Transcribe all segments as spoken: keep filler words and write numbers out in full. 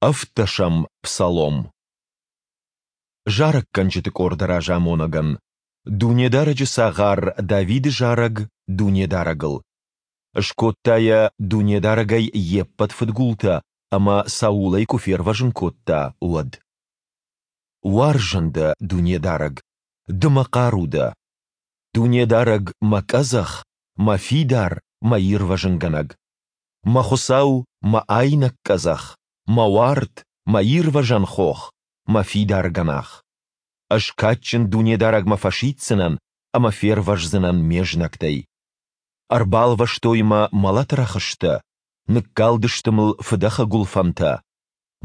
Ӕвддӕсӕм псалом. Зарӕггӕнджыты къорды разамонӕгӕн. Дунедарӕджы цагъар Давиды зарӕг Дунедарӕгыл. Скодта йӕ, Дунедарӕг ӕй йе ппӕт фыдгултӕ ӕмӕ Саулӕй куы фервӕзын кодта, уӕд. Уарзын Дӕ, Дунедарӕг, Ды мӕ хъару дӕ! Дунедарӕг, мӕ къӕдзӕх, мӕ фидар, мӕ ирвӕзынгӕнӕг! Мӕ Хуыцау, мӕ айнӕг къӕдзӕх, мӕ уарт, мӕ ирвӕзӕн хох, мӕ фидар гӕнах! Ӕз кадджын Дунедарӕгмӕ фӕсиддзынӕн ӕмӕ фервӕздзынӕн ме знӕгтӕй. Ӕрбалвӕстой мӕ мӕлӕты рӕхыстӕ, ныккалдысты мыл фыдӕхы гуылфӕнтӕ.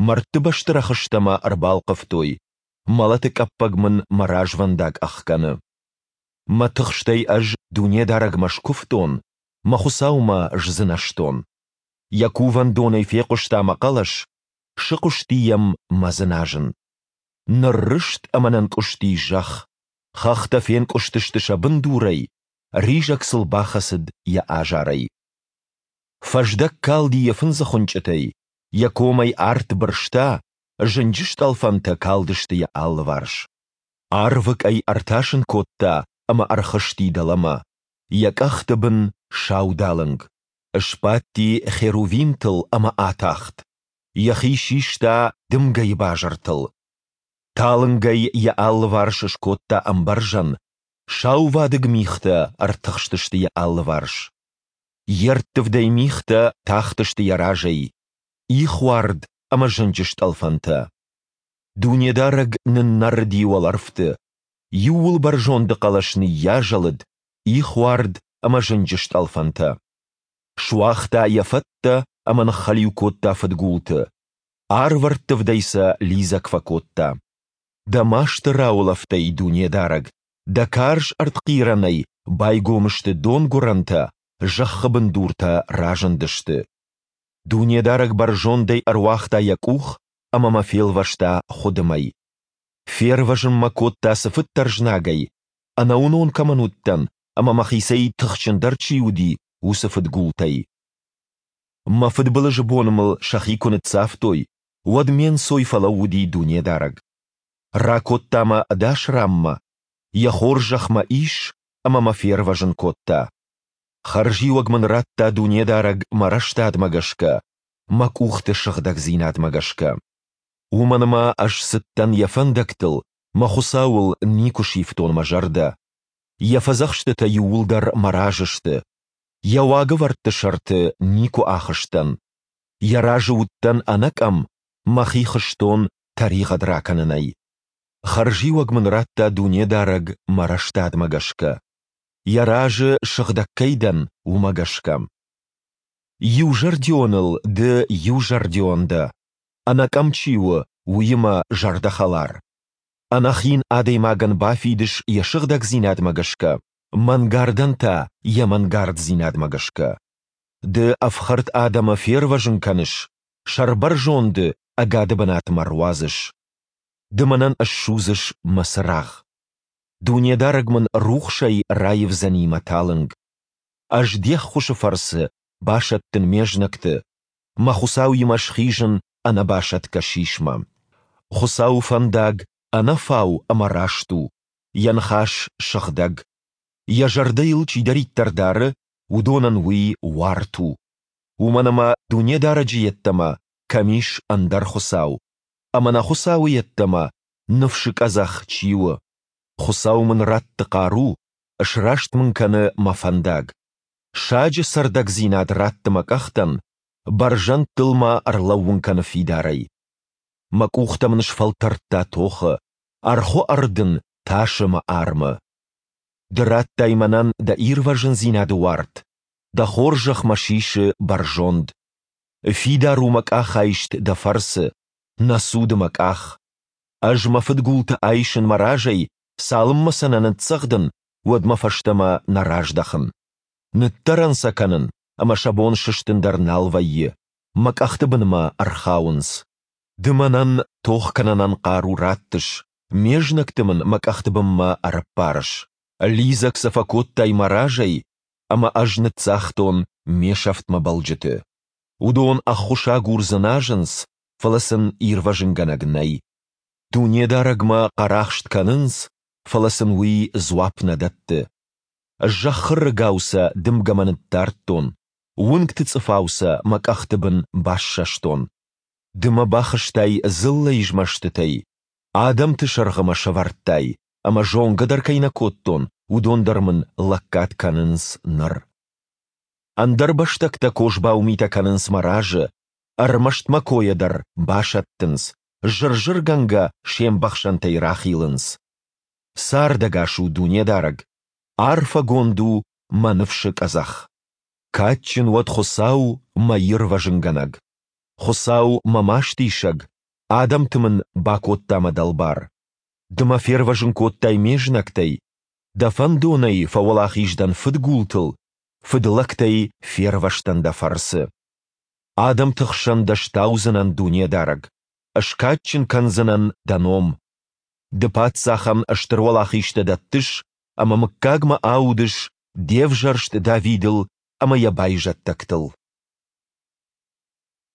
Мӕрдты бӕсты рӕхыстӕ мӕ ӕрбалхъывтой, мӕлӕты къӕппӕг мын мӕ развӕндаг ӕхгӕны. Мӕ тыхстӕй ӕз Дунедарӕгмӕ скуывтон, мӕ Хуыцаумӕ сдзынӕзтон. Йӕ кувӕндонӕй фехъуыста мӕ хъӕлӕс, сыхъуысти йӕм мӕ дзыназын. Ныррызт ӕмӕ нынкъуысти зӕхх, хӕхтӕ фенкъуыстысты сӕ бындурӕй, ризӕг сыл бахӕцыд йӕ азарӕй. Фӕздӕг калди йӕ фындзы хуынчъытӕй, йӕ комӕй арт бырста, зынджы стъӕлфӕнтӕ калдысты йӕ алыварс. Арвы къӕй ӕртасын кодта ӕмӕ ӕрхызти дӕлӕмӕ, йӕ къӕхты бын саудалынг. Сбадти херувимтыл ӕмӕ атахт, йӕхи систа дымгӕйы базыртыл. Талынгӕй йӕ алыварс скодта ӕмбӕрзӕн, саувадыг мигътӕ ӕртыхстысты йӕ алыварс. Йе рттывдӕй мигътӕ тахтысты йӕ разӕй, ихуард ӕмӕ зынджы стъӕлфӕнтӕ. Дунедарӕг ныннӕрыди уӕлӕрвты, Иууылбӕрзонды хъӕлӕс ныййазӕлыд, ихуард ӕмӕ зынджы стъӕлфӕнтӕ. Суагъта йӕ фӕттӕ ӕмӕ ныххӕлиу кодта фыдгулты, арвӕрттывдӕй сӕ лидзӕг фӕкодта. Дӕ масты раулӕфтӕй, Дунедарӕг, Дӕ карз ӕртхъирӕнӕй байгом сты донгуырӕнтӕ, зӕххы бындуртӕ разындысты. Дунедарӕг бӕрзондӕй ӕруагъта йӕ къух ӕмӕ мӕ фелвӕста хуыдымӕй. Фервӕзын мӕ кодта цыфыддӕр знагӕй, ӕнӕуынон кӕмӕн уыдтӕн ӕмӕ мӕхицӕй тыхджындӕр чи уыди, уыцы фыдгултӕй. Мӕ фыдбылызы бон мыл сӕхи куы ныццавтой, уӕд ме нцой фӕлӕууыди Дунедарӕг. Ракодта мӕ ӕдас ранмӕ, Йӕ хорзӕх мӕ ис ӕмӕ мӕ фервӕзын кодта. Хӕрзиуӕг мын радта Дунедарӕг мӕ рӕстадмӕ гӕсгӕ, мӕ къухты сыгъдӕгдзинадмӕ гӕсгӕ. Уымӕн ӕмӕ ӕз цыдтӕн Йӕ фӕндӕгтыл, мӕ Хуыцауыл никуы сивтон мӕ зӕрдӕ. Йӕ фӕдзӕхстытӕ иууылдӕр мӕ разы сты. Йӕ уагӕвӕрдты сӕрты никуы ахызтӕн. Йӕ разы уыдтӕн ӕнӕкъӕм, мӕхи хызтон тӕригъӕд ракӕнынӕй. Хӕрзиуӕг мын радта Дунедарӕг мӕ рӕстадмӕ гӕсгӕ. Йӕ разы сыгъдӕг кӕй дӕн, уымӕ гӕсгӕ. Иузӕрдионыл ды иузӕрдион дӕ, ӕнӕкъӕм чи у, уыимӕ зӕрдӕхӕлар. Ӕнӕхин адӕймагӕн бафидыс йӕ сыгъдӕгдзинадмӕ гӕсгӕ, мӕнгардӕн та йӕ мӕнгарддзинадмӕ гӕсгӕ. Ды ӕфхӕрд адӕмы фервӕзын кӕныс, сӕрбӕрзонды ӕгады бынатмӕ руадзыс. Ды мӕнӕн ссудзыс мӕ цырагъ. Дунедарӕг мын рухсӕй раивдзӕни мӕ талынг. Ӕз де ххуысы фӕрцы басӕттын ме знӕгты, мӕ Хуыцауимӕ схизын ӕнӕбасӕтгӕ сисмӕ. Хуыцауы фӕндаг ӕнӕфау ӕмӕ раст у, йӕ ныхас сыгъдӕг. Йӕ зӕрдӕ йыл чидӕриддӕр дары, уыдонӕн уый уарт у. Уымӕн ӕмӕ Дунедарӕджы йеддӕмӕ кӕм ис ӕндӕр Хуыцау? Ӕмӕ нӕ Хуыцауы йеддӕмӕ ныфсы къӕдзӕх чи у? Хуыцау мын ратты хъару, сраст мын кӕны мӕ фӕндаг. Саджы цӕрдӕгдзинад ратты мӕ къӕхтӕн, бӕрзӕндтыл мӕ ӕрлӕууын кӕны фидарӕй. Мӕ къухтӕ мын сфӕлтӕрдта тохы, ӕрхуы ӕрдын тасы мӕ армы. Ды радтай мӕнӕн дӕ ирвӕзындзинады уарт, дӕ хорзӕх мӕ сисы бӕрзонд. Фидар у мӕ къахайст дӕ фӕрцы, нӕ цуды мӕ къах. Ӕз мӕ фыдгулты айсын мӕ разӕй, цалынмӕ сӕ нӕ ныццӕгъдын, уӕдмӕ фӕстӕмӕ нӕ раздӕхын. Ныддӕрӕн сӕ кӕнын, ӕмӕ сӕ бон сыстын дӕр нал вӕййы, мӕ къӕхты бынмӕ ӕрхауынц. Ды мӕнӕн тох кӕнынӕн хъару раттыс, ме знӕгты мын мӕ къӕхты бынмӕ ӕрӕппарыс. Лидзӕг сӕ фӕкодтай мӕ разӕй, ӕмӕ ӕз ныццагътон ме сӕфтмӕ бӕлджыты. Уыдон ӕххуысагур дзыназынц, фӕлӕ сын ирвӕзынгӕнӕг нӕй. Дунедарӕгмӕ хъӕрахст кӕнынц, фӕлӕ сын Уый дзуапп нӕ дӕтты. Зӕххы рыгау сӕ дымгӕмӕ ныддардтон, уынгты цъыфау сӕ мӕ къӕхты бын бассӕстон. Ды мӕ бахызтай дзыллӕйы змӕстытӕй, адӕмты сӕргъы мӕ сӕвӕрдтай, ӕмӕ зонгӕ дӕр кӕй нӕ кодтон, уыдон дӕр мын лӕггад кӕнынц ныр. Ӕндӕрбӕстӕгтӕ козбау митӕ кӕнынц мӕ разы, ӕрмӕст мӕ койӕ дӕр басӕттынц, зыр-зыргӕнгӕ се мбӕхсӕнтӕй рахилынц. Цардӕгас у Дунедарӕг! Арфӕгонд у мӕ ныфсы къӕдзӕх! Кадджын уӕд Хуыцау, мӕ ирвӕзынгӕнӕг! Хуыцау, мӕ мастисӕг, адӕмты мын бакодта мӕ дӕлбар. Ды мӕ фервӕзын кодтай ме знӕгтӕй, Дӕ фӕндонӕй фӕуӕлахиз дӕн фыдгултыл, фыдлӕгтӕй фервӕзтӕн Дӕ фӕрцы. Адӕмты хсӕн Дӕ стаудзынӕн, Дунедарӕг, скадджын кӕндзынӕн Дӕ ном. Ды паддзахӕн стыр уӕлахизтӕ дӕттыс ӕмӕ мыггагмӕ аудыс Де взӕрст Давидыл ӕмӕ йӕ байзӕддӕгтыл.